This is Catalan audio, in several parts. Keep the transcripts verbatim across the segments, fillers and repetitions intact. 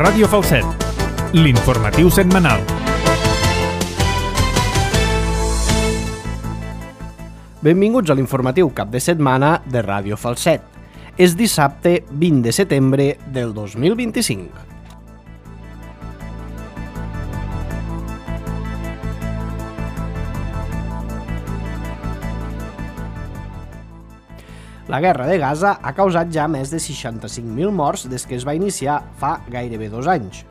Ràdio Falset, l'informatiu setmanal. Benvinguts a l'informatiu cap de setmana de Ràdio Falset. És dissabte vint de setembre del dos mil vint-i-cinc. La guerra de Gaza ha causat ja més de seixanta-cinc mil morts des que es va iniciar fa gairebé dos anys,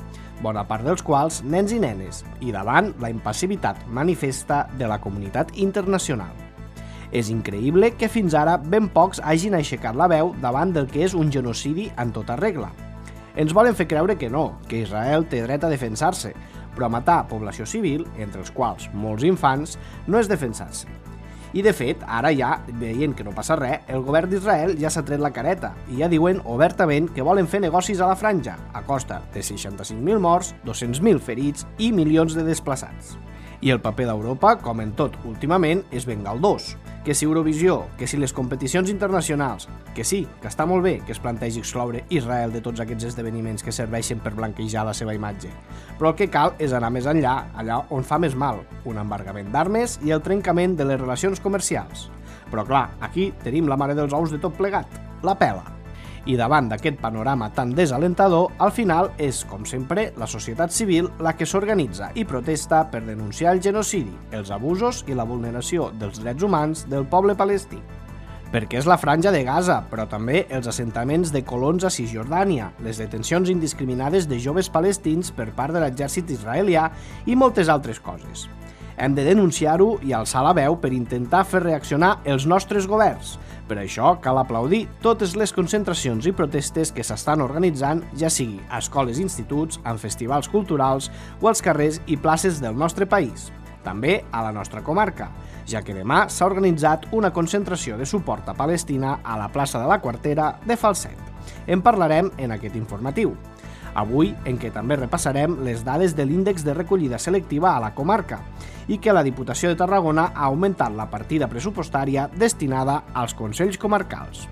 bona part dels quals nens i nenes, i davant la impassibilitat manifesta de la comunitat internacional. És increïble que fins ara ben pocs hagin aixecat la veu davant del que és un genocidi en tota regla. Ens volen fer creure que no, que Israel té dret a defensar-se, però matar població civil, entre els quals molts infants, no és defensar-se. I de fet, ara ja, veient que no passa res, el govern d'Israel ja s'ha tret la careta i ja diuen obertament que volen fer negocis a la franja, a costa de seixanta-cinc mil morts, dos-cents mil ferits i milions de desplaçats. I el paper d'Europa, com en tot últimament, és ben galdós. Que si Eurovisió, que si les competicions internacionals, que sí, que està molt bé que es plantegi excloure Israel de tots aquests esdeveniments que serveixen per blanquejar la seva imatge. Però el que cal és anar més enllà, allà on fa més mal, un embargament d'armes i el trencament de les relacions comercials. Però clar, aquí tenim la mare dels ous de tot plegat, la pela. I davant d'aquest panorama tan desalentador, al final és, com sempre, la societat civil la que s'organitza i protesta per denunciar el genocidi, els abusos i la vulneració dels drets humans del poble palestí. Perquè és la franja de Gaza, però també els assentaments de colons a Cisjordània, les detencions indiscriminades de joves palestins per part de l'exèrcit israelià i moltes altres coses. Hem de denunciar-ho i alçar la veu per intentar fer reaccionar els nostres governs. Per això cal aplaudir totes les concentracions i protestes que s'estan organitzant, ja sigui a escoles i instituts, en festivals culturals o als carrers i places del nostre país. També a la nostra comarca, ja que demà s'ha organitzat una concentració de suport a Palestina a la plaça de la Quartera de Falset. En parlarem en aquest informatiu. Avui, en què també repassarem les dades de l'índex de recollida selectiva a la comarca i que la Diputació de Tarragona ha augmentat la partida pressupostària destinada als Consells Comarcals.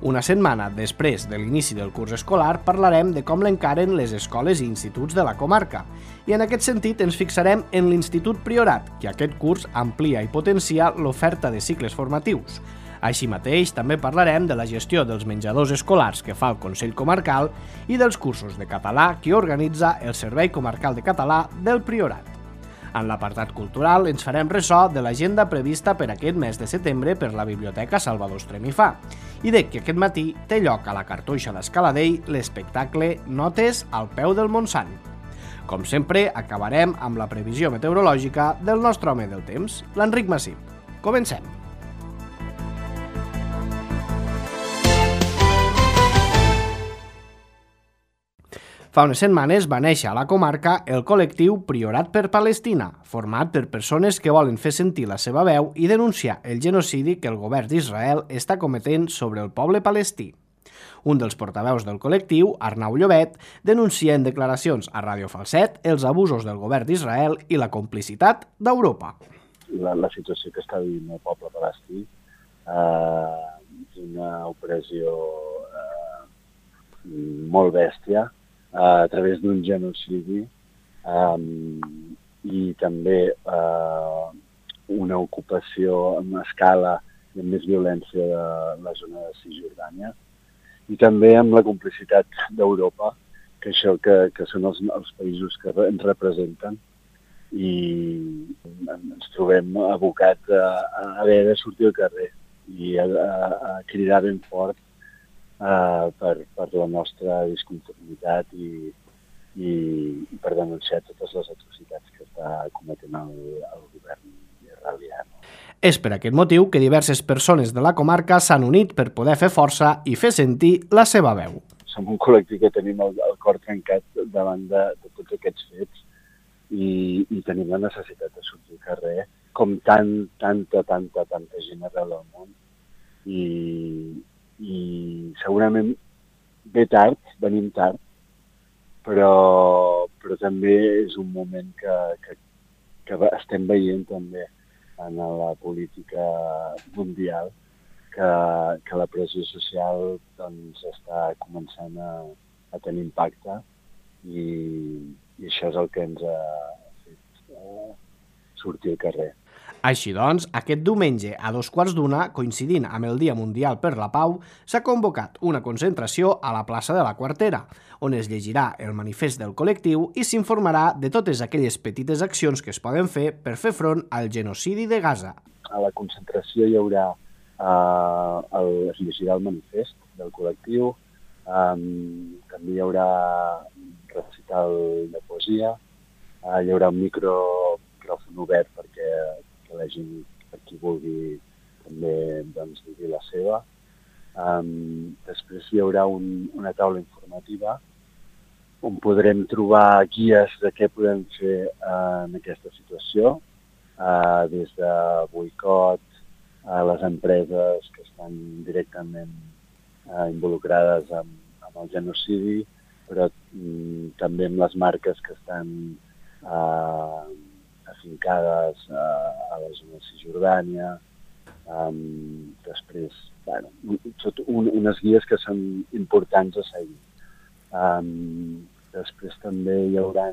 Una setmana després de l'inici del curs escolar parlarem de com l'encaren les escoles i instituts de la comarca i en aquest sentit ens fixarem en l'Institut Priorat, que aquest curs amplia i potencia l'oferta de cicles formatius. Així mateix, també parlarem de la gestió dels menjadors escolars que fa el Consell Comarcal i dels cursos de català que organitza el Servei Comarcal de Català del Priorat. En l'apartat cultural ens farem ressò de l'agenda prevista per aquest mes de setembre per la Biblioteca Salvador Estremifà i de que aquest matí té lloc a la Cartoixa d'Escaladell l'espectacle Notes al peu del Montsant. Com sempre, acabarem amb la previsió meteorològica del nostre home del temps, l'Enric Massip. Comencem! Fa unes setmanes va néixer a la comarca el col·lectiu Priorat per Palestina, format per persones que volen fer sentir la seva veu i denunciar el genocidi que el govern d'Israel està cometent sobre el poble palestí. Un dels portaveus del col·lectiu, Arnau Llobet, denuncia en declaracions a Ràdio Falset els abusos del govern d'Israel i la complicitat d'Europa. La, la situació que està vivint el poble palestí eh, és una opressió eh, molt bèstia, a través d'un genocidi um, i també uh, una ocupació en escala i amb més violència de la zona de Cisjordània i també amb la complicitat d'Europa, que això que, que són els, els països que ens representen i ens trobem abocats a, a haver de sortir al carrer i a, a, a cridar ben fort Uh, per, per la nostra disconformitat i, i, i per denunciar totes les atrocitats que està cometent el, el govern israelià. És per aquest motiu que diverses persones de la comarca s'han unit per poder fer força i fer sentir la seva veu. Som un col·lectiu que tenim el, el cor trencat davant de, de tots aquests fets i, i tenim la necessitat de sortir al carrer, com tant, tanta, tanta, tanta gent arreu del món. I i segurament ve tard, venim tard, però, però també és un moment que, que, que estem veient també en la política mundial que, que la pressió social doncs, està començant a, a tenir impacte i, i això és el que ens ha fet eh, sortir al carrer. Així doncs, aquest diumenge a dos quarts d'una, coincidint amb el Dia Mundial per la Pau, s'ha convocat una concentració a la plaça de la Quartera, on es llegirà el manifest del col·lectiu i s'informarà de totes aquelles petites accions que es poden fer per fer front al genocidi de Gaza. A la concentració hi haurà, eh, el, es llegirà el manifest del col·lectiu, eh, també hi haurà recital de poesia, eh, hi haurà un micro, micròfon obert perquè que la gent, per qui vulgui, també doncs, digui la seva. Um, després hi haurà un, una taula informativa on podrem trobar guies de què podem fer uh, en aquesta situació, uh, des de boicot a les empreses que estan directament uh, involucrades amb, amb el genocidi, però um, també amb les marques que estan uh, afincades a, a la zona de Cisjordània, um, després, bueno, un, unes guies que són importants a seguir. Um, després també hi haurà,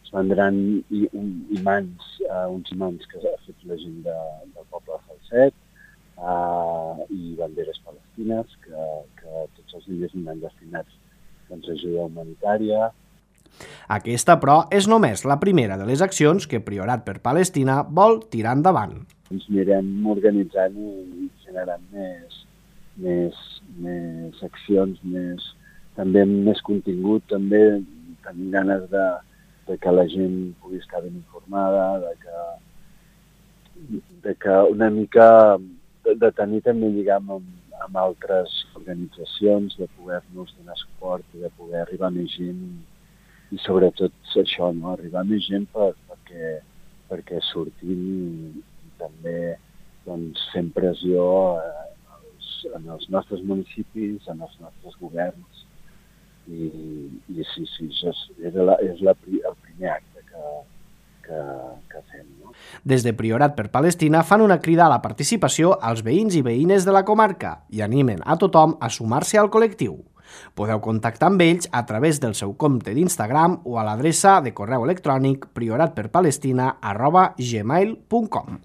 es vendran i, un, imants, uh, uns imants que ha fet la gent de, del poble de Falset, uh, i banderes palestines, que, que tots els diners aniran destinats doncs, a ajuda humanitària. Aquesta, però, és només la primera de les accions que Priorat per Palestina vol tirar endavant. Ens anirem organitzant i generant més, més, més accions, més, també amb més contingut, també tenint ganes de, de que la gent pugui estar ben informada, de que, de que una mica de, de tenir també lligam amb, amb altres organitzacions, de poder-nos donar suport i de poder arribar a més gent i sobretot això, no? Arribar més gent per, perquè, perquè sortim i, i també doncs, fem pressió eh, als, en els nostres municipis, en els nostres governs. I, i sí, sí, això és, és, la, és la, el primer acte que, que, que fem. No? Des de Priorat per Palestina fan una crida a la participació als veïns i veïnes de la comarca i animen a tothom a sumar-se al col·lectiu. Podeu contactar amb ells a través del seu compte d'Instagram o a l'adreça de correu electrònic prioratperpalestina arroba gmail punt com.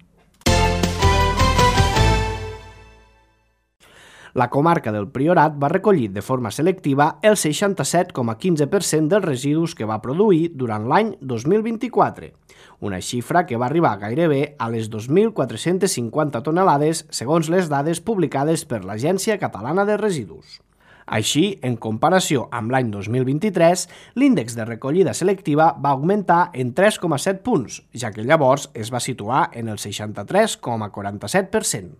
La comarca del Priorat va recollir de forma selectiva el seixanta-set coma quinze per cent dels residus que va produir durant l'any dos mil vint-i-quatre, una xifra que va arribar gairebé a les dos mil quatre-cents cinquanta tonelades segons les dades publicades per l'Agència Catalana de Residus. Així, en comparació amb l'any dos mil vint-i-tres, l'índex de recollida selectiva va augmentar en tres coma set punts, ja que llavors es va situar en el seixanta-tres coma quaranta-set per cent.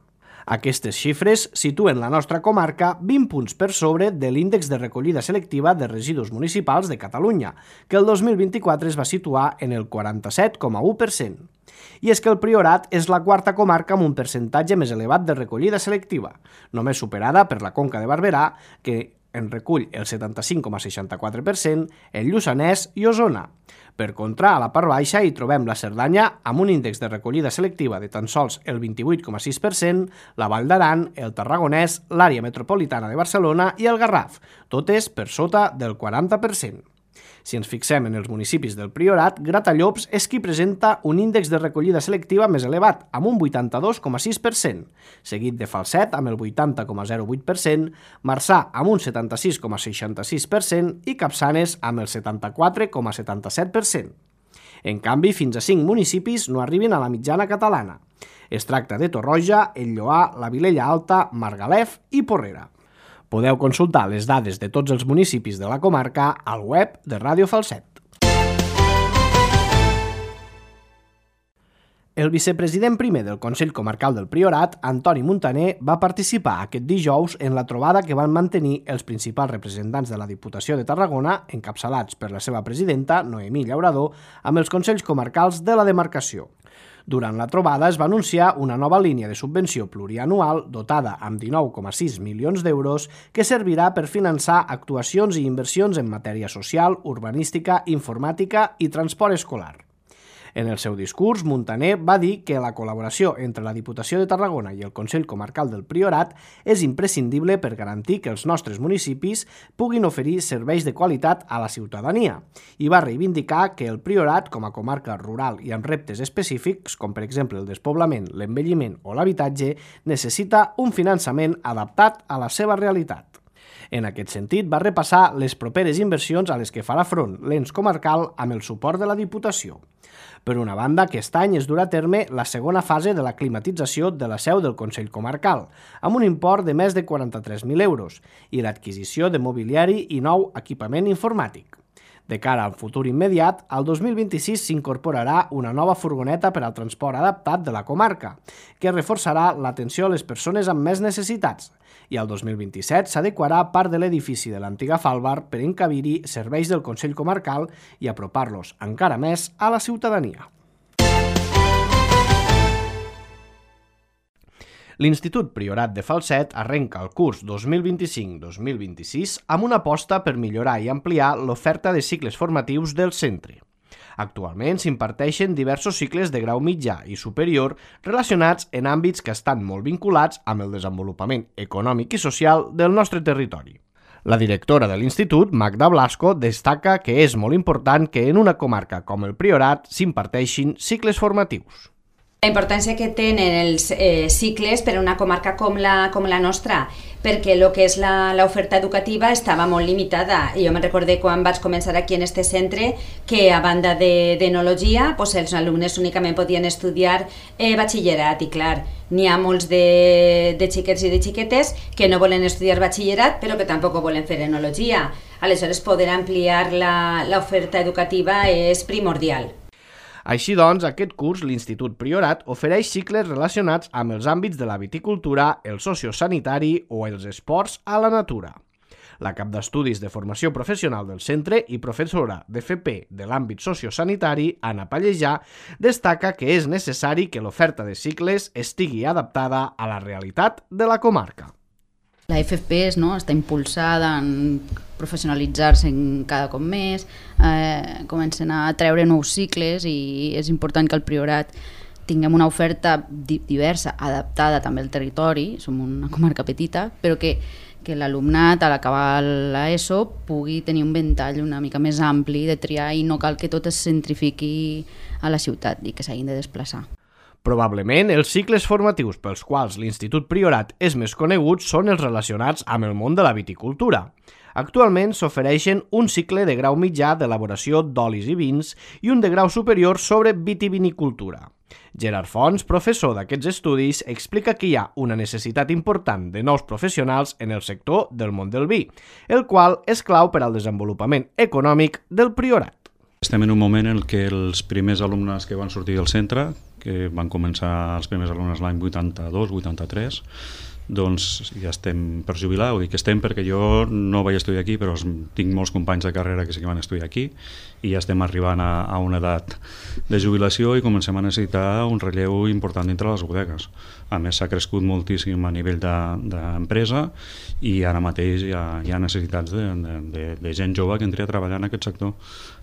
Aquestes xifres situen la nostra comarca vint punts per sobre de l'índex de recollida selectiva de residus municipals de Catalunya, que el dos mil vint-i-quatre es va situar en el quaranta-set coma u per cent. I és que el Priorat és la quarta comarca amb un percentatge més elevat de recollida selectiva, només superada per la Conca de Barberà, que en recull el setanta-cinc coma seixanta-quatre per cent, el Lluçanès i Osona. Per contra, a la part baixa hi trobem la Cerdanya amb un índex de recollida selectiva de tan sols el vint-i-vuit coma sis per cent, la Vall d'Aran, el Tarragonès, l'àrea metropolitana de Barcelona i el Garraf, totes per sota del quaranta per cent. Si ens fixem en els municipis del Priorat, Gratallops és qui presenta un índex de recollida selectiva més elevat, amb un vuitanta-dos coma sis per cent, seguit de Falset amb el vuitanta coma zero vuit per cent, Marçà amb un setanta-sis coma seixanta-sis per cent i Capçanes amb el setanta-quatre coma setanta-set per cent. En canvi, fins a cinc municipis no arriben a la mitjana catalana. Es tracta de Torroja, el Lloar, la Vilella Alta, Margalef i Porrera. Podeu consultar les dades de tots els municipis de la comarca al web de Ràdio Falset. El vicepresident primer del Consell Comarcal del Priorat, Antoni Muntaner, va participar aquest dijous en la trobada que van mantenir els principals representants de la Diputació de Tarragona, encapçalats per la seva presidenta, Noemí Llaurador, amb els Consells Comarcals de la demarcació. Durant la trobada es va anunciar una nova línia de subvenció plurianual dotada amb dinou coma sis milions d'euros que servirà per finançar actuacions i inversions en matèria social, urbanística, informàtica i transport escolar. En el seu discurs, Muntaner va dir que la col·laboració entre la Diputació de Tarragona i el Consell Comarcal del Priorat és imprescindible per garantir que els nostres municipis puguin oferir serveis de qualitat a la ciutadania i va reivindicar que el Priorat, com a comarca rural i amb reptes específics, com per exemple el despoblament, l'envelliment o l'habitatge, necessita un finançament adaptat a la seva realitat. En aquest sentit, va repassar les properes inversions a les que farà front l'ens comarcal amb el suport de la Diputació. Per una banda, aquest any es durà a terme la segona fase de la climatització de la seu del Consell Comarcal, amb un import de més de quaranta-tres mil euros, i l'adquisició de mobiliari i nou equipament informàtic. De cara al futur immediat, al dos mil vint-i-sis s'incorporarà una nova furgoneta per al transport adaptat de la comarca, que reforçarà l'atenció a les persones amb més necessitats, i al dos mil vint-i-set s'adequarà part de l'edifici de l'antiga Falbar per encabir-hi serveis del Consell Comarcal i apropar-los encara més a la ciutadania. L'Institut Priorat de Falset arrenca el curs dos mil vint-i-cinc dos mil vint-i-sis amb una aposta per millorar i ampliar l'oferta de cicles formatius del centre. Actualment s'imparteixen diversos cicles de grau mitjà i superior relacionats en àmbits que estan molt vinculats amb el desenvolupament econòmic i social del nostre territori. La directora de l'Institut, Magda Blasco, destaca que és molt important que en una comarca com el Priorat s'imparteixin cicles formatius. La importància que tenen els eh, cicles per a una comarca com la, com la nostra, perquè el que és l'oferta educativa estava molt limitada. Jo me'n recordé quan vaig començar aquí en este centre que a banda d'enologia pues els alumnes únicament podien estudiar eh, batxillerat i clar, n'hi ha molts de, de xiquets i de xiquetes que no volen estudiar batxillerat però que tampoc volen fer enologia. Aleshores poder ampliar l'oferta educativa és primordial. Així doncs, aquest curs l'Institut Priorat ofereix cicles relacionats amb els àmbits de la viticultura, el sociosanitari o els esports a la natura. La cap d'estudis de formació professional del centre i professora d'F P de l'àmbit sociosanitari, Anna Pallejà, destaca que és necessari que l'oferta de cicles estigui adaptada a la realitat de la comarca. La F P no, està impulsada en professionalitzar-se cada cop més, eh, comencen a treure nous cicles i és important que al Priorat tinguem una oferta diversa, adaptada també al territori, som una comarca petita, però que, que l'alumnat a l'acabar l'ESO pugui tenir un ventall una mica més ampli de triar i no cal que tot es centrifiqui a la ciutat i que s'hagin de desplaçar. Probablement, els cicles formatius pels quals l'Institut Priorat és més conegut són els relacionats amb el món de la viticultura. Actualment s'ofereixen un cicle de grau mitjà d'elaboració d'olis i vins i un de grau superior sobre vitivinicultura. Gerard Fons, professor d'aquests estudis, explica que hi ha una necessitat important de nous professionals en el sector del món del vi, el qual és clau per al desenvolupament econòmic del Priorat. Estem en un moment en què els primers alumnes que van sortir del centre, que van començar els primers alumnes l'any vuitanta-dos vuitanta-tres, doncs ja estem per jubilar, ho dic que estem perquè jo no vaig estudiar aquí, però tinc molts companys de carrera que sí que van estudiar aquí i ja estem arribant a, a una edat de jubilació i comencem a necessitar un relleu important dintre les bodegues. A més, s'ha crescut moltíssim a nivell d'empresa i ara mateix hi ha, hi ha necessitats de, de, de gent jove que entri a treballar en aquest sector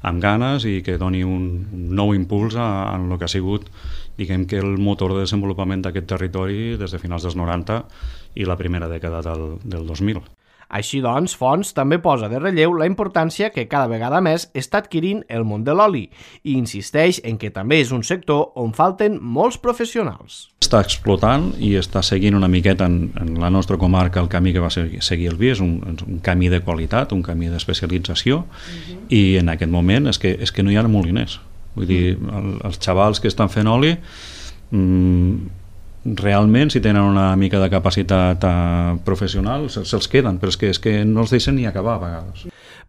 amb ganes i que doni un, un nou impuls a, a el que ha sigut, diguem que el motor de desenvolupament d'aquest territori des de finals dels noranta i la primera dècada del, del dos mil. Així doncs, Fons també posa de relleu la importància que cada vegada més està adquirint el món de l'oli i insisteix en que també és un sector on falten molts professionals. Està explotant i està seguint una miqueta en, en la nostra comarca el camí que va seguir el vi, és un, un camí de qualitat, un camí d'especialització uh-huh. i en aquest moment és que, és que no hi ha moliners. Vull dir, el, els xavals que estan fent oli mmm, realment, si tenen una mica de capacitat uh, professional, se'ls queden, però és que, és que no els deixen ni acabar a vegades.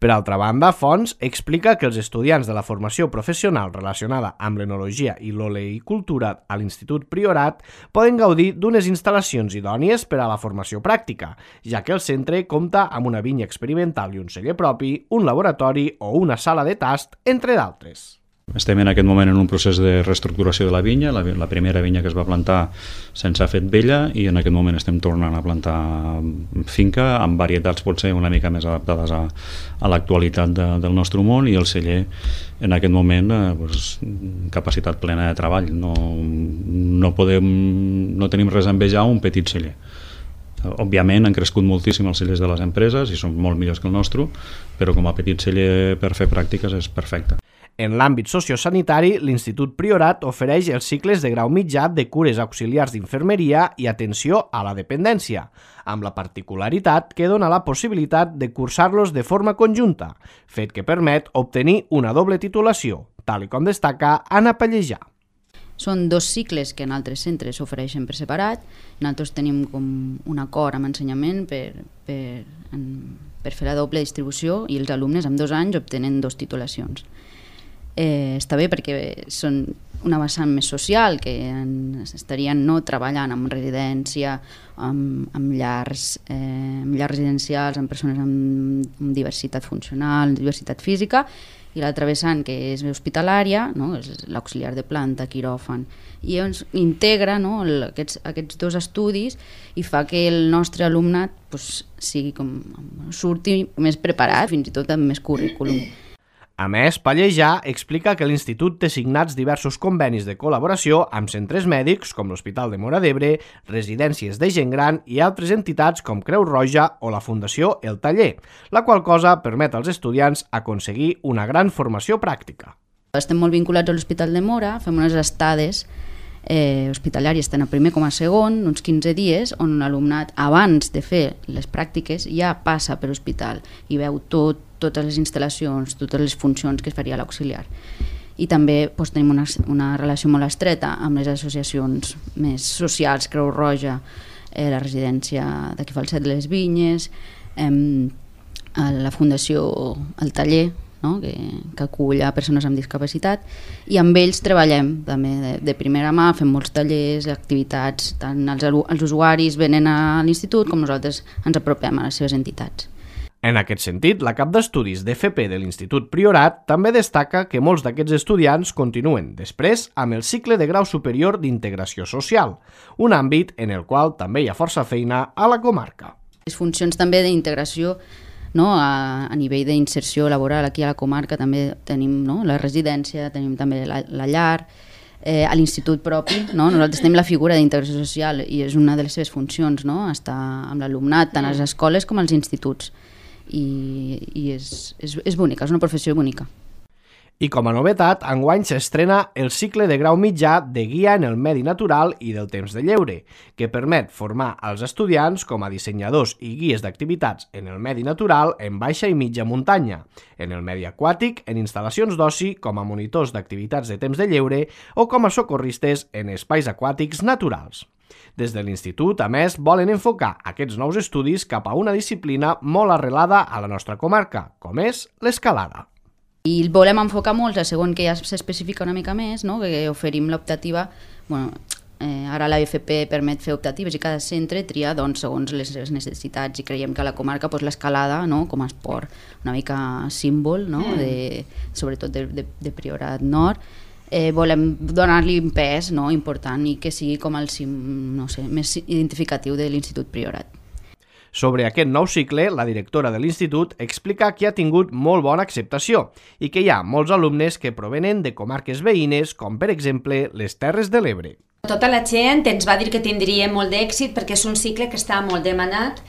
Per altra banda, Fons explica que els estudiants de la formació professional relacionada amb l'enologia i l'oleicultura a l'Institut Priorat poden gaudir d'unes instal·lacions idònies per a la formació pràctica, ja que el centre compta amb una vinya experimental i un celler propi, un laboratori o una sala de tast, entre d'altres. Estem en aquest moment en un procés de reestructuració de la vinya, la, la primera vinya que es va plantar se'ns ha fet vella i en aquest moment estem tornant a plantar finca amb varietats potser una mica més adaptades a, a l'actualitat de, del nostre món, i el celler en aquest moment eh, pues, capacitat plena de treball. No, no, podem, no tenim res a envejar un petit celler. Òbviament han crescut moltíssim els cellers de les empreses i són molt millors que el nostre, però com a petit celler per fer pràctiques és perfecte. En l'àmbit sociosanitari, l'Institut Priorat ofereix els cicles de grau mitjà de cures auxiliars d'infermeria i atenció a la dependència, amb la particularitat que dona la possibilitat de cursar-los de forma conjunta, fet que permet obtenir una doble titulació, tal com destaca Anna Pallejà. Són dos cicles que en altres centres s'ofereixen per separat. Nosaltres tenim com un acord amb ensenyament per, per, en, per fer la doble distribució i els alumnes amb dos anys obtenen dos titulacions. Eh, està bé perquè són una vessant més social, que en, estarien no treballant en residència, amb, amb, llars, eh, amb llars residencials, amb persones amb, amb diversitat funcional, diversitat física, i l'altra vessant, que és hospitalària, no? És l'auxiliar de planta, quiròfan, i ens integra, no? el, aquests, aquests dos estudis i fa que el nostre alumnat pues, sigui com, surti més preparat, fins i tot amb més currículum. A més, Pallejà explica que l'Institut té signats diversos convenis de col·laboració amb centres mèdics com l'Hospital de Móra d'Ebre, residències de gent gran i altres entitats com Creu Roja o la Fundació El Taller, la qual cosa permet als estudiants aconseguir una gran formació pràctica. Estem molt vinculats a l'Hospital de Móra, fem unes estades eh, hospitalàries tant a primer com a segon, uns quinze dies, on l'alumnat abans de fer les pràctiques ja passa per l'hospital i veu tot, totes les instal·lacions, totes les funcions que es faria l'auxiliar. I també doncs, tenim una, una relació molt estreta amb les associacions més socials, Creu Roja, eh, la residència d'aquí Falset de les Vinyes, eh, la Fundació El Taller, no? que, que acull a persones amb discapacitat, i amb ells treballem també de, de primera mà, fem molts tallers, activitats, tant els, els usuaris venen a l'institut com nosaltres ens apropem a les seves entitats. En aquest sentit, la cap d'estudis d'F P de l'Institut Priorat també destaca que molts d'aquests estudiants continuen després amb el cicle de grau superior d'integració social, un àmbit en el qual també hi ha força feina a la comarca. Les funcions també d'integració, no, a, a nivell d'inserció laboral aquí a la comarca també tenim, no, la residència, tenim també la, la llar, eh, a l'institut propi, no? Nosaltres tenim la figura d'integració social i és una de les seves funcions, no? Estar amb l'alumnat tant a les escoles com als instituts. i, i és, és, és bonica, és una professió bonica. I com a novetat, enguany s'estrena el cicle de grau mitjà de guia en el medi natural i del temps de lleure, que permet formar als estudiants com a dissenyadors i guies d'activitats en el medi natural en baixa i mitja muntanya, en el medi aquàtic, en instal·lacions d'oci com a monitors d'activitats de temps de lleure o com a socorristes en espais aquàtics naturals. Des de l'Institut, a més, volen enfocar aquests nous estudis cap a una disciplina molt arrelada a la nostra comarca, com és l'escalada. I el volem enfocar molt a segon que ja s'especifica una mica més, no? Que oferim l'optativa, bueno, eh, ara la F P permet fer optatives i cada centre tria doncs, segons les seves necessitats i creiem que a la comarca pues, l'escalada, no? Com a esport una mica símbol, no? de, sobretot de, de, de Priorat Nord, eh, volem donar-li un pes, no? important i que sigui com el cim, no sé, més identificatiu de l'Institut Priorat. Sobre aquest nou cicle, la directora de l'Institut explica que ha tingut molt bona acceptació i que hi ha molts alumnes que provenen de comarques veïnes, com per exemple les Terres de l'Ebre. Tota la gent ens va dir que tindria molt d'èxit perquè és un cicle que està molt demanat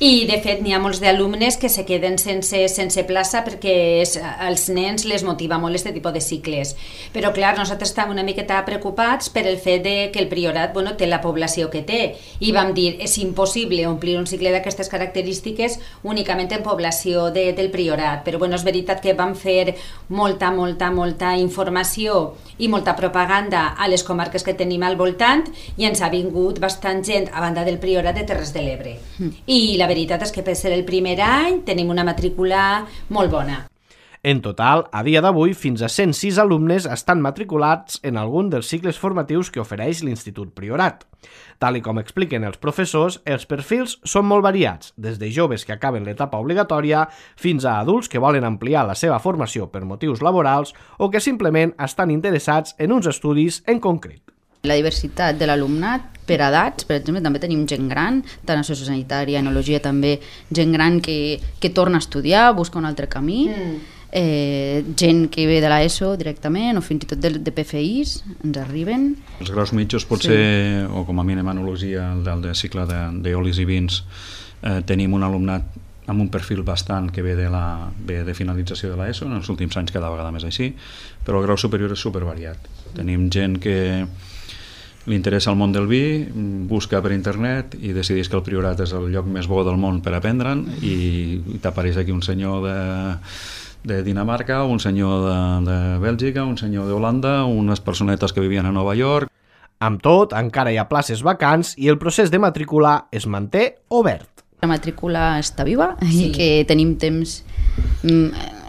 i de fet n'hi ha molts d'alumnes que se queden sense, sense plaça perquè és, als nens les motiva molt aquest tipus de cicles. Però clar, nosaltres estàvem una miqueta preocupats per el fet de que el Priorat bueno, té la població que té i vam dir és impossible omplir un cicle d'aquestes característiques únicament en població de, del Priorat. Però bueno, és veritat que vam fer molta, molta, molta informació i molta propaganda a les comarques que tenim al voltant i ens ha vingut bastant gent a banda del Priorat de Terres de l'Ebre. Mm. I la veritat és que per ser el primer any tenim una matrícula molt bona. En total, a dia d'avui, fins a cent sis alumnes estan matriculats en algun dels cicles formatius que ofereix l'Institut Priorat. Tal i com expliquen els professors, els perfils són molt variats, des de joves que acaben l'etapa obligatòria fins a adults que volen ampliar la seva formació per motius laborals o que simplement estan interessats en uns estudis en concret. La diversitat de l'alumnat per edats, per exemple, també tenim gent gran, tant a sociosanitària, enologia també, gent gran que, que torna a estudiar, busca un altre camí, mm. eh, gent que ve de l'ESO directament o fins i tot de, de P F Is, ens arriben. Els graus mitjos potser, sí. o com a mínim enologia, el del de cicle d'olis i vins, eh, tenim un alumnat amb un perfil bastant que ve de, la, ve de finalització de l'ESO, en els últims anys cada vegada més així, però el grau superior és supervariat. Tenim gent que li interessa el món del vi, busca per internet i decideix que el Priorat és el lloc més bo del món per aprendre'n i, i t'apareix aquí un senyor de, de Dinamarca, un senyor de, de Bèlgica, un senyor d'Holanda, unes personetes que vivien a Nova York. Amb tot, encara hi ha places vacants i el procés de matricular es manté obert. La matrícula està viva sí. i que tenim temps.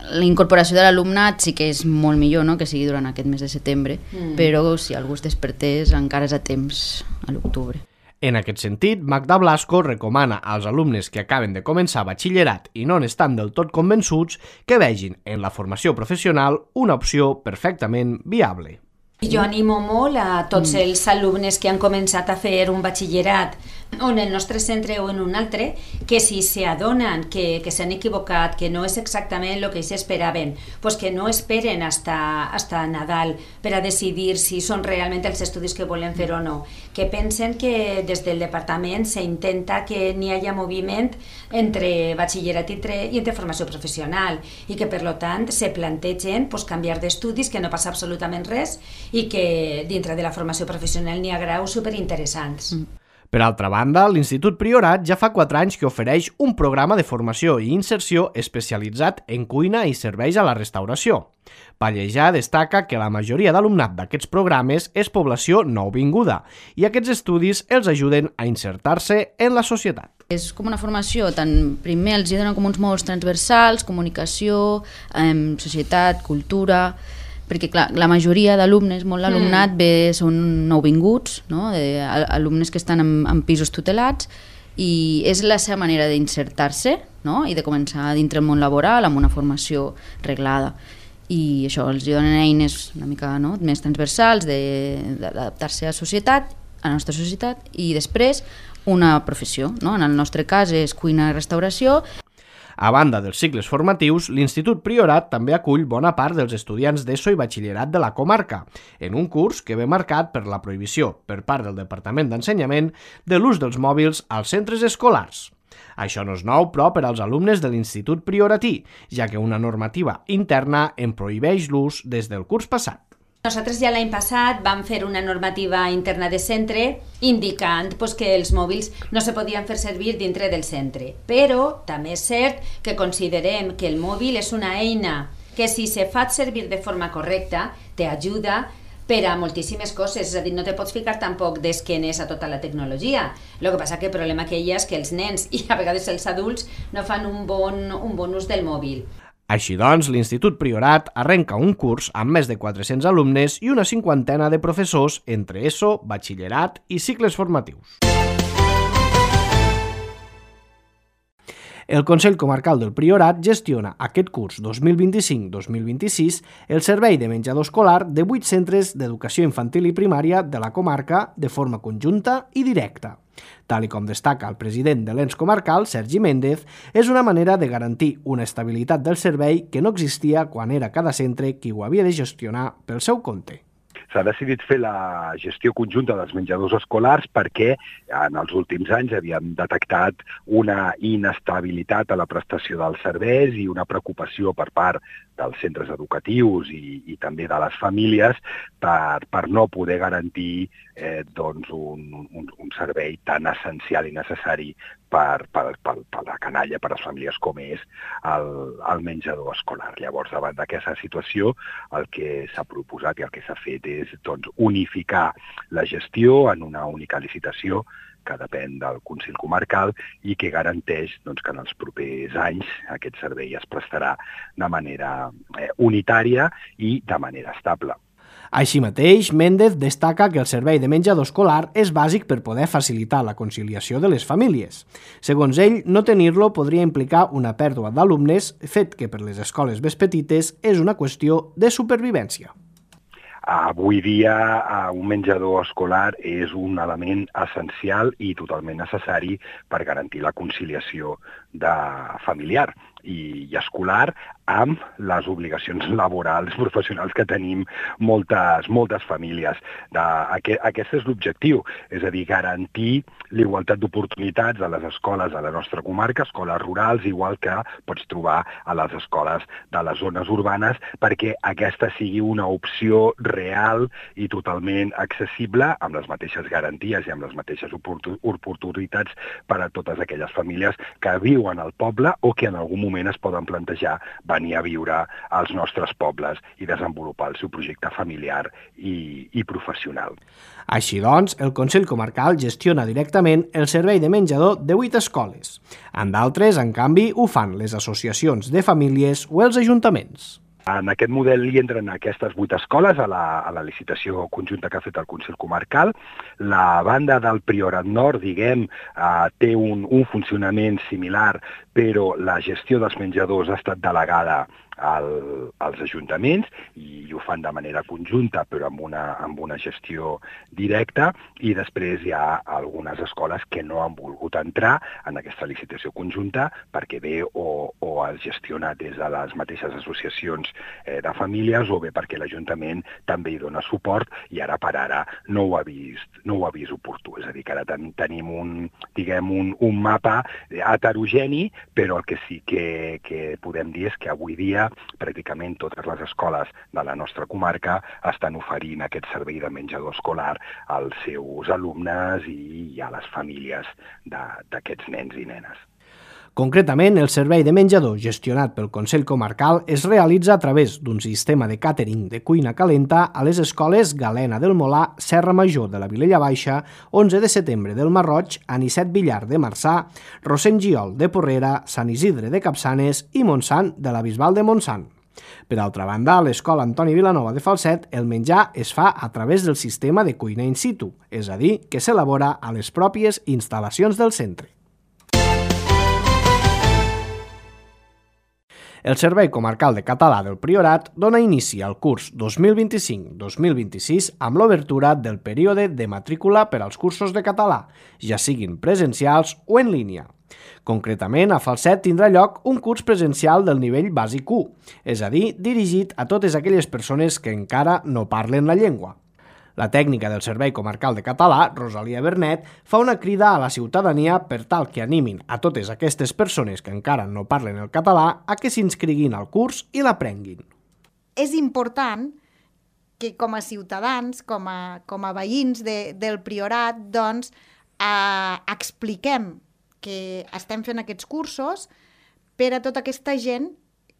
La incorporació de l'alumnat sí que és molt millor, no?, que sigui durant aquest mes de setembre, mm. però si algú es despertés encara és a temps a l'octubre. En aquest sentit, Magda Blasco recomana als alumnes que acaben de començar batxillerat i no n'estan del tot convençuts que vegin en la formació professional una opció perfectament viable. Jo animo molt a tots els alumnes que han començat a fer un batxillerat o en el nostre centre o en un altre, que si s'adonen que, que s'han equivocat, que no és exactament el que s'esperaven, pues que no esperen hasta, hasta Nadal per a decidir si són realment els estudis que volen fer o no, que pensen que des del departament s'intenta que n'hi hagi moviment entre batxillerat i entre, i entre formació professional i que per lo tant se plantegen pues, canviar d'estudis, que no passa absolutament res i que dintre de la formació professional n'hi ha graus superinteressants. Mm. Per altra banda, l'Institut Priorat ja fa quatre anys que ofereix un programa de formació i inserció especialitzat en cuina i serveis a la restauració. Pallejà destaca que la majoria d'alumnat d'aquests programes és població nouvinguda i aquests estudis els ajuden a insertar-se en la societat. És com una formació, tant primer els donen com uns mòduls transversals, comunicació, eh, societat, cultura, perquè clar, la majoria d'alumnes, molt l'alumnat, mm. ve, són nouvinguts, no? de, alumnes que estan en, en pisos tutelats, i és la seva manera d'insertar-se, no? i de començar dintre el món laboral amb una formació reglada. I això els donen eines una mica no? més transversals d'adaptar-se a la societat, a la nostra societat, i després una professió. No? En el nostre cas és cuina i restauració. A banda dels cicles formatius, l'Institut Priorat també acull bona part dels estudiants d'ESO i batxillerat de la comarca, en un curs que ve marcat per la prohibició, per part del Departament d'Ensenyament, de l'ús dels mòbils als centres escolars. Això no és nou, però, per als alumnes de l'Institut Prioratí, ja que una normativa interna en prohibeix l'ús des del curs passat. Nosaltres ja l'any passat vam fer una normativa interna de centre indicant pues, que els mòbils no se podien fer servir dintre del centre. Però també és cert que considerem que el mòbil és una eina que si se fa servir de forma correcta t'ajuda per a moltíssimes coses, és a dir, no te pots ficar tampoc d'esquenes a tota la tecnologia. El que passa que el problema que hi ha és que els nens i a vegades els adults no fan un bon, un bon ús del mòbil. Així doncs, l'Institut Priorat arrenca un curs amb més de quatre-cents alumnes i una cinquantena de professors entre ESO, batxillerat i cicles formatius. El Consell Comarcal del Priorat gestiona aquest curs dos mil vint-i-cinc dos mil vint-i-sis el servei de menjador escolar de vuit centres d'educació infantil i primària de la comarca de forma conjunta i directa. Tal i com destaca el president de l'ens comarcal, Sergi Méndez, és una manera de garantir una estabilitat del servei que no existia quan era cada centre qui ho havia de gestionar pel seu compte. S'ha decidit fer la gestió conjunta dels menjadors escolars perquè en els últims anys havíem detectat una inestabilitat a la prestació dels serveis i una preocupació per part dels centres educatius i, i també de les famílies per, per no poder garantir eh, doncs un, un, un servei tan essencial i necessari per, per, per, per la canalla, per les famílies com és el, el menjador escolar. Llavors, davant d'aquesta situació, el que s'ha proposat i el que s'ha fet és doncs, unificar la gestió en una única licitació que depèn del Consell Comarcal i que garanteix doncs, que en els propers anys aquest servei es prestarà de manera eh, unitària i de manera estable. Així mateix, Méndez destaca que el servei de menjador escolar és bàsic per poder facilitar la conciliació de les famílies. Segons ell, no tenir-lo podria implicar una pèrdua d'alumnes, fet que per les escoles més petites és una qüestió de supervivència. Avui dia un menjador escolar és un element essencial i totalment necessari per garantir la conciliació de familiar i escolar amb les obligacions laborals, professionals que tenim moltes, moltes famílies. De, aquest, aquest és l'objectiu, és a dir, garantir l'igualtat d'oportunitats a les escoles de la nostra comarca, escoles rurals, igual que pots trobar a les escoles de les zones urbanes, perquè aquesta sigui una opció real i totalment accessible, amb les mateixes garanties i amb les mateixes oportunitats per a totes aquelles famílies que viuen al poble o que en algun moment es poden plantejar venir a viure als nostres pobles i desenvolupar el seu projecte familiar i, i professional. Així doncs, el Consell Comarcal gestiona directament el servei de menjador de vuit escoles. En d'altres, en canvi, ho fan les associacions de famílies o els ajuntaments. En aquest model hi entren aquestes vuit escoles a la, a la licitació conjunta que ha fet el Consell Comarcal. La banda del Priorat Nord, diguem, eh, té un, un funcionament similar, però la gestió dels menjadors ha estat delegada al, als ajuntaments i ho fan de manera conjunta però amb una, amb una gestió directa, i després hi ha algunes escoles que no han volgut entrar en aquesta licitació conjunta perquè bé o, o es gestiona des de les mateixes associacions eh, de famílies o bé perquè l'Ajuntament també hi dona suport i ara per ara no ho ha vist, no ho ha vist oportú. És a dir, que ara ten, tenim un, diguem, un, un mapa heterogeni, però el que sí que, que podem dir és que avui dia pràcticament totes les escoles de la nostra comarca estan oferint aquest servei de menjador escolar als seus alumnes i a les famílies d'aquests nens i nenes. Concretament, el servei de menjador gestionat pel Consell Comarcal es realitza a través d'un sistema de càtering de cuina calenta a les escoles Galena del Molar, Serra Major de la Vilella Baixa, onze de setembre del Marroig, Anicet Villar de Marçà, Rossend-Giol de Porrera, Sant Isidre de Capçanes i Montsant de la Bisbal de Montsant. Per altra banda, a l'escola Antoni Vilanova de Falset, el menjar es fa a través del sistema de cuina in situ, és a dir, que s'elabora a les pròpies instal·lacions del centre. El Servei Comarcal de Català del Priorat dona inici al curs dos mil vint-i-cinc dos mil vint-i-sis amb l'obertura del període de matrícula per als cursos de català, ja siguin presencials o en línia. Concretament, a Falset tindrà lloc un curs presencial del nivell bàsic u, és a dir, dirigit a totes aquelles persones que encara no parlen la llengua. La tècnica del Servei Comarcal de Català, Rosalia Bernet, fa una crida a la ciutadania per tal que animin a totes aquestes persones que encara no parlen el català a que s'inscriguin al curs i l'aprenguin. És important que com a ciutadans, com a, com a veïns de, del Priorat, doncs, eh, expliquem que estem fent aquests cursos per a tota aquesta gent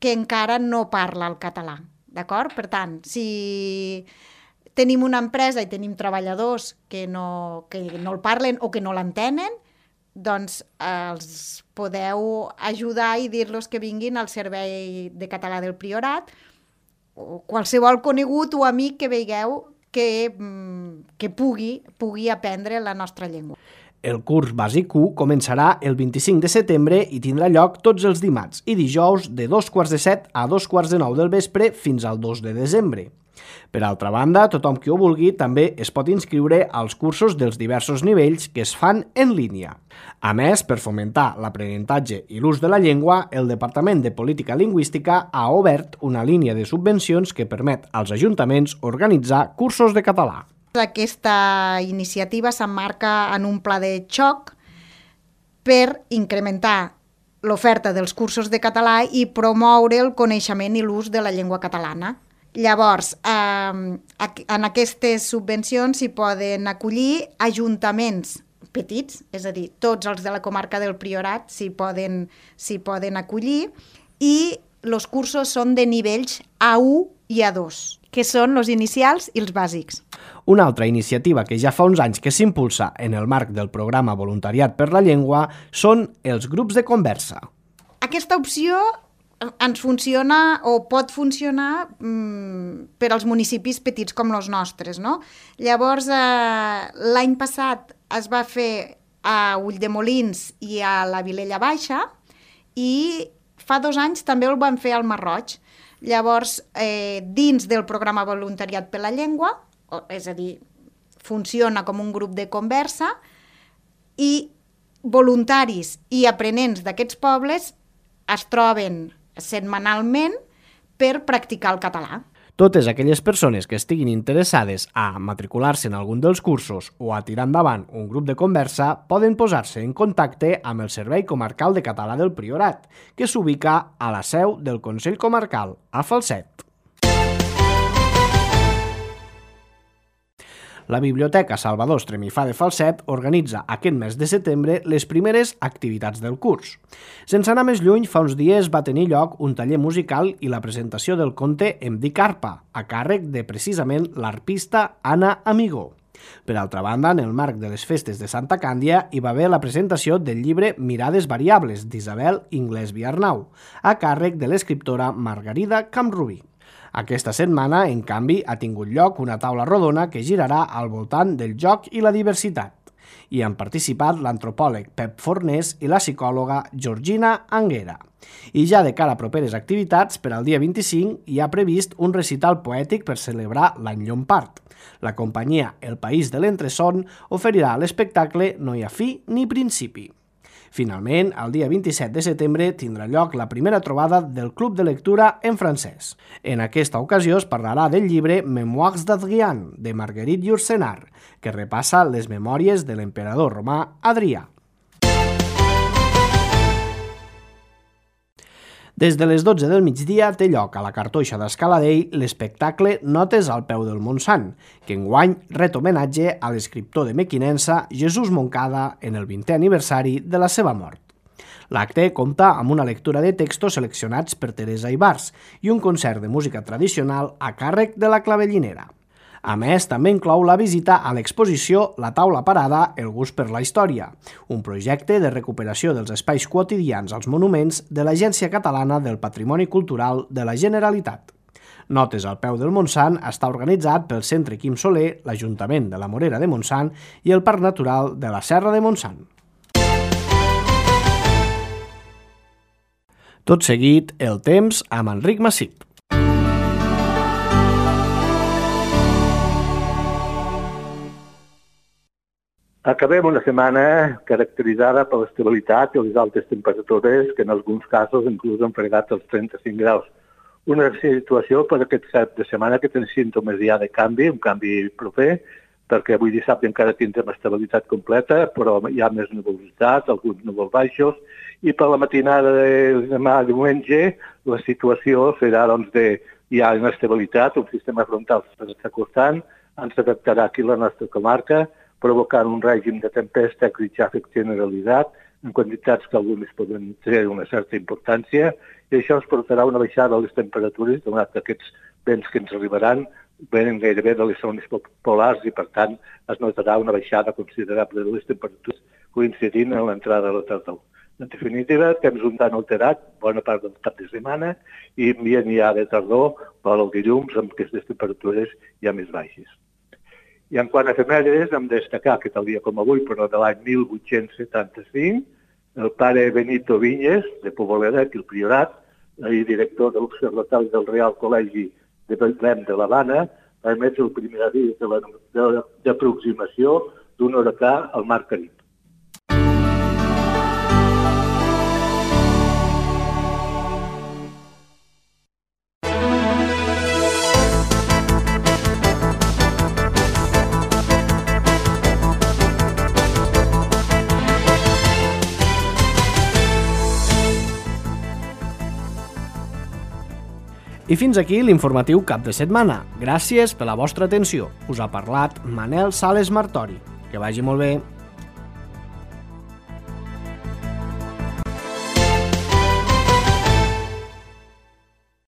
que encara no parla el català, d'acord? Per tant, si tenim una empresa i tenim treballadors que no, que no el parlen o que no l'entenen, doncs eh, els podeu ajudar i dir-los que vinguin al Servei de Català del Priorat o qualsevol conegut o amic que veieu que, que pugui, pugui aprendre la nostra llengua. El curs bàsic u començarà el vint-i-cinc de setembre i tindrà lloc tots els dimarts i dijous de dos quarts de set a dos quarts de nou del vespre fins al dos de desembre. Per altra banda, tothom qui ho vulgui també es pot inscriure als cursos dels diversos nivells que es fan en línia. A més, per fomentar l'aprenentatge i l'ús de la llengua, el Departament de Política Lingüística ha obert una línia de subvencions que permet als ajuntaments organitzar cursos de català. Aquesta iniciativa s'emmarca en un pla de xoc per incrementar l'oferta dels cursos de català i promoure el coneixement i l'ús de la llengua catalana. Llavors, eh, en aquestes subvencions s'hi poden acollir ajuntaments petits, és a dir, tots els de la comarca del Priorat s'hi poden, s'hi poden acollir, i els cursos són de nivells A u i A dos, que són els inicials i els bàsics. Una altra iniciativa que ja fa uns anys que s'impulsa en el marc del programa Voluntariat per la Llengua són els grups de conversa. Aquesta opció ens funciona o pot funcionar mmm, per als municipis petits com els nostres, no? Llavors, eh, l'any passat es va fer a Ulldemolins i a la Vilella Baixa, i fa dos anys també el van fer al Masroig. Llavors, eh, dins del programa Voluntariat per la Llengua, és a dir, funciona com un grup de conversa, i voluntaris i aprenents d'aquests pobles es troben setmanalment per practicar el català. Totes aquelles persones que estiguin interessades a matricular-se en algun dels cursos o a tirar endavant un grup de conversa poden posar-se en contacte amb el Servei Comarcal de Català del Priorat, que s'ubica a la seu del Consell Comarcal, a Falset. La Biblioteca Salvador Estremifà de Falset organitza aquest mes de setembre les primeres activitats del curs. Sense anar més lluny, fa uns dies va tenir lloc un taller musical i la presentació del conte Em dic Arpa, a càrrec de precisament l'arpista Anna Amigó. Per altra banda, en el marc de les festes de Santa Càndia hi va haver la presentació del llibre Mirades variables d'Isabel Inglés Viarnau, a càrrec de l'escriptora Margarida Camrubí. Aquesta setmana, en canvi, ha tingut lloc una taula rodona que girarà al voltant del joc i la diversitat. Hi han participat l'antropòleg Pep Fornés i la psicòloga Georgina Anguera. I ja de cara a properes activitats, per al dia vint-i-cinc hi ha previst un recital poètic per celebrar l'any Llompart. La companyia El País de l'Entreson oferirà l'espectacle No hi ha fi ni principi. Finalment, el dia vint-i-set de setembre tindrà lloc la primera trobada del Club de Lectura en francès. En aquesta ocasió es parlarà del llibre Mémoires d'Adrien, de Marguerite Yourcenar, que repassa les memòries de l'emperador romà Adrià. Des de les dotze del migdia té lloc a la Cartoixa d'Escaladell l'espectacle Notes al peu del Montsant, que enguany ret homenatge a l'escriptor de Mequinensa Jesús Moncada en el vintè aniversari de la seva mort. L'acte compta amb una lectura de textos seleccionats per Teresa Ibars i un concert de música tradicional a càrrec de la Clavellinera. A més, també inclou la visita a l'exposició La taula parada, el gust per la història, un projecte de recuperació dels espais quotidians als monuments de l'Agència Catalana del Patrimoni Cultural de la Generalitat. Notes al peu del Montsant està organitzat pel Centre Quim Soler, l'Ajuntament de la Morera de Montsant i el Parc Natural de la Serra de Montsant. Tot seguit, el temps amb Enric Massip. Acabem una setmana caracteritzada per l'estabilitat i les altes temperatures que en alguns casos inclús han fregat els trenta-cinc graus. Una situació per aquest cap de setmana que té símptomes ja de canvi, un canvi proper, perquè avui dissabte encara tindrem estabilitat completa, però hi ha més nuvolositat, alguns núvols baixos, i per la matinada de demà diumenge la situació serà doncs, de hi ha inestabilitat, un sistema frontal s'està acostant, ens afectarà aquí la nostra comarca, provocant un règim de tempesta i xàfec generalitzat en quantitats que algunes poden tenir una certa importància, i això ens portarà una baixada de les temperatures, donat que aquests vents que ens arribaran venen gairebé de les zones polars i, per tant, es notarà una baixada considerable de les temperatures coincidint en l'entrada de la tardor. En definitiva, temps un tant alterat, bona part del cap de setmana, i ambient ja de tardor per al dilluns amb aquestes temperatures ja més baixes. I en quant a efemèrides, hem de destacar que tal dia com avui, però de l'any mil vuit-cents setanta-cinc, el pare Benito Viñes, de Poboleda, aquí al Priorat, i director de l'Observatori del Real Col·legi de Betlem de l'Havana, va emetre el primer avís d'aproximació d'un huracà al Mar Carib. I fins aquí l'informatiu cap de setmana. Gràcies per la vostra atenció. Us ha parlat Manel Sales Martori. Que vagi molt bé.